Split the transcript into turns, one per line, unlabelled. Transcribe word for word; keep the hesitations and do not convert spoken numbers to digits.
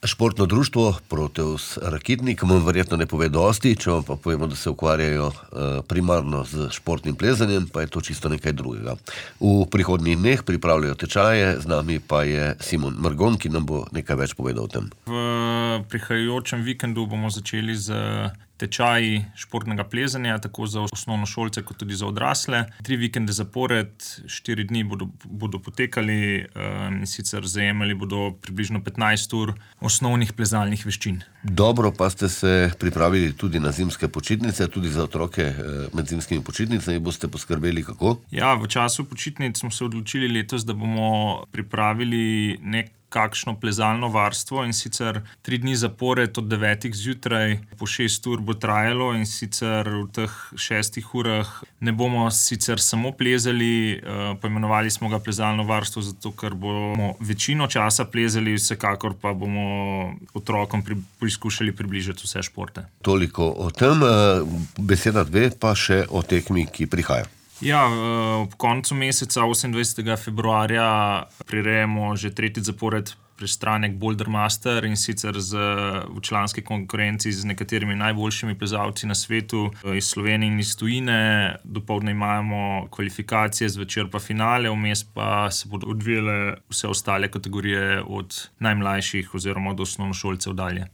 Športno društvo Proteus Rakitnik vam verjetno ne pove dosti, če vam pa povemo, da se ukvarjajo primarno z športnim plezanjem, pa je to čisto nekaj drugega. V prihodnjih dneh pripravljajo tečaje, z nami pa je Simon Margon, ki nam bo nekaj več povedal o tem.
V prihajajočem vikendu bomo začeli z tečaji športnega plezanja, tako za osnovnošolce kot tudi za odrasle. Tri vikende zapored, štiri dni bodo, bodo potekali, in sicer zajemali bodo približno petnajst ur osnovnih plezalnih veščin.
Dobro, pa ste se pripravili tudi na zimske počitnice, tudi za otroke med zimskimi počitnicami boste poskrbeli kako?
Ja, v času počitnic smo se odločili letos, da bomo pripravili nek kakšno plezalno varstvo, in sicer tri dni zapored od devetih zjutraj po šest ur bo trajalo, in sicer v teh šestih urah ne bomo sicer samo plezali, poimenovali smo ga plezalno varstvo, zato ker bomo večino časa plezali, vsekakor pa bomo otrokom pri, poskušali približati vse športe.
Toliko o tem, beseda dve pa še o tekmi, ki prihaja.
Ja, ob koncu meseca, osemindvajsetega februarja, prirejamo že tretji zapored prestranek Boulder Master, in sicer z, v članski konkurenci z nekaterimi najboljšimi plezalci na svetu iz Slovenije in iz tujine. Dopoldne imamo kvalifikacije, zvečer pa finale, vmes pa se bodo odvijale vse ostale kategorije od najmlajših oziroma od osnovnošolcev dalje.